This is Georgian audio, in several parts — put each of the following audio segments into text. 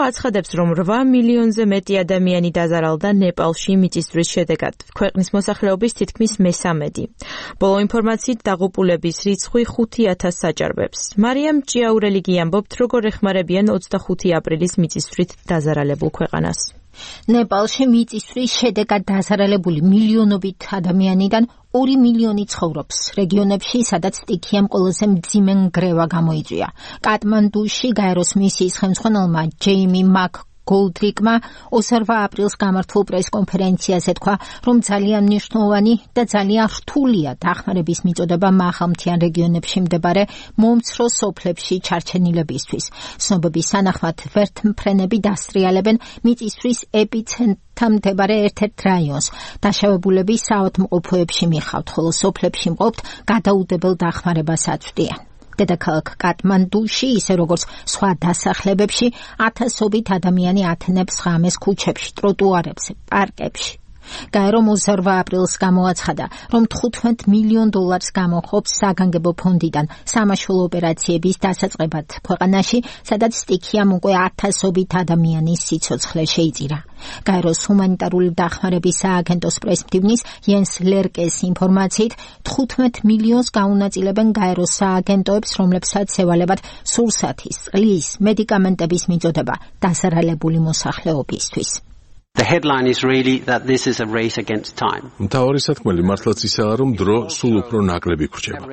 აცხადებს, რომ 8 მილიონზე მეტი ადამიანი დაზარალდა ნეპალში მიწისძვრის შედეგად, ქვეყნის მოსახლეობის თითქმის მესამედი. ბოლო ინფორმაციით დაღუპულების რიცხვი 5,000-ს აჭარბებს. მარიამ ჭიაურელი გიამბობთ, როგორ ეხმარებიან 25 აპრილის მიწისძვრით დაზარალებულ ქვეყანას. ნეპალში მიწისძვრის შედეგად დაზარალებული მილიონობით ადამიანიდან 2 მილიონი ცხოვრობს რეგიონებში, სადაც სტიქიამ ყველაზე მძიმე ნგრევა გამოიწვია. კატმანდუში გაეროს მისიის ხელმძღვანელმა ჯეიმი მაკგოლდრიკმა 28 აპრილს გამართულ პრესკონფერენციაზე თქვა, რომ ძალიან მნიშვნელოვანი და ძალიან რთულია დახმარების მიწოდება მაღალმთიან რეგიონებში მდებარე მომცრო სოფლებში ჩარჩენილებისთვის. ცნობების თანახმად ვერთმფრენები დასტრიალებენ მიწისძვრის ეპიცენტრთან მდებარე ერთ-ერთ რაიონს. დაშავებულები საავადმყოფოებში მიხავთ, ხოლო სოფლებში მყოფთ გადაუდებელ დახმარებას აწვდიან. დედაქალაქ კატმანდუში, ისე როგორც სხვა დასახლებებში, ათასობით ადამიანი ათენებს ღამეს ქუჩებში, ტროტუარებზე, პარკებში. გაერო 28 აპრილს გამოაცხადა, რომ $15 მილიონ გამოხობს საგანგებო ფონდიდან სამაშველო ოპერაციების დასაწყებად ქვეყანაში, სადაც სტიქიამ უკვე ათასობით ადამიანის სიცოცხლე შეიწირა. გაეროს ჰუმანიტარული დახმარების სააგენტოს პრესმდივნის იენს ლერკეს ინფორმაციით 15 მილიონს გაუნაწილებენ გაეროს სააგენტოებს, რომლებსაც ევალებათ სურსათის, წყლის, მედიკამენტების მიწოდება დაზარალებული მოსახლეობისთვის. The headline is really that this is a race against time. მთავარი სათქმელი მართლაც ისაა, რომ დრო სულ უფრო ნაკლები გრჩება.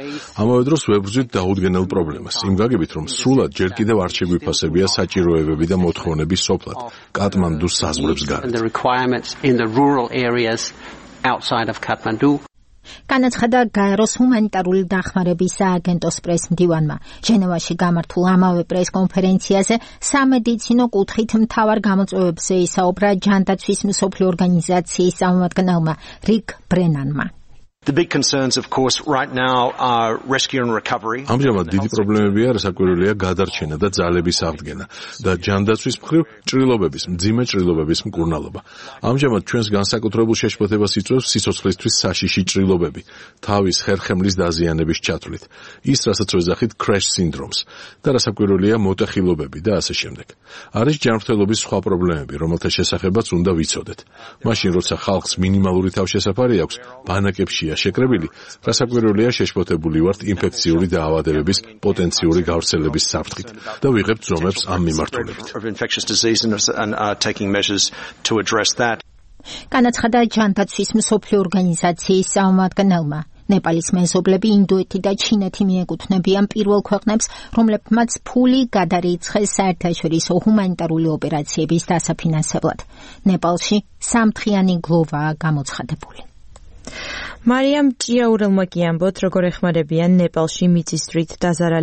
ამავე დროს ვებრძვით დაუდგენელ პრობლემას. იმ გაგებით, რომ სრულად ჯერ კიდევ არ შეგვიფასებია საჭიროებები და მოთხოვნები სოფლად, კატმანდუს საზღვრებს გარეთ. The requirements in the rural areas outside of Kathmandu. განაცხადა გაეროს ჰუმანიტარული დახმარების სააგენტოს პრესმდივანმა. ჟენევაში გამართულ ამავე პრესკონფერენციაზე სამედიცინო კუთხით მთავარ გამოწვევებზე ისაუბრა ჯანდაცვის მსოფლიო ორგანიზაციის წარმომადგენელმა რიკ ბრენანმა. The big concerns, of course, right now are rescue and recovery. ამჟამად დიდი პრობლემებია, რასაკვირველია გადარჩენა და ძალების აღდგენა და ჯანდაცვის მხრივ ჭრილობების, მძიმე ჭრილობების მკურნალობა. ამჟამად ჩვენს განსაკუთრებულ შეშფოთებას იწვევს სიცოცხლისთვის საშიში ჭრილობები, თავის ხერხემლის დაზიანების ჩათვლით, ის რასაც ვეძახით crash syndromes და რასაკვირველია მოტეხილობები და ასე შემდეგ. არის ჯანმრთელობის სხვა პრობლემები, რომელთა შესახებაც უნდა ვიცოდეთ. მაშინ, როცა ხალხს მინიმალური თავშესაფარი აქვს, ბანაკებშია შეკრებილი, რასაკვირველია შეშფოთებული ვართ ინფექციური დაავადებების პოტენციური გავრცელების საფრთხით და ვიღებთ ზომებს ამ მიმართულებით. განაცხადა ჯანდაცვის მსოფლიო ორგანიზაციის წარმომადგენელმა. ნეპალის მეზობლები ინდოეთი და ჩინეთი მიეკუთვნებიან პირველ ქვეყნებს, რომლებმაც ფული გადარიცხეს საერთაშორისო ჰუმანიტარული ოპერაციების დასაფინანსებლად. ნეპალში სამთხრიანი გლოვაა გამოცხადებული. მარიამ ჭიაურელმა გიამბოთ, როგორ ეხმარებიან ნეპალში მიწისძვრით დაზარალებულ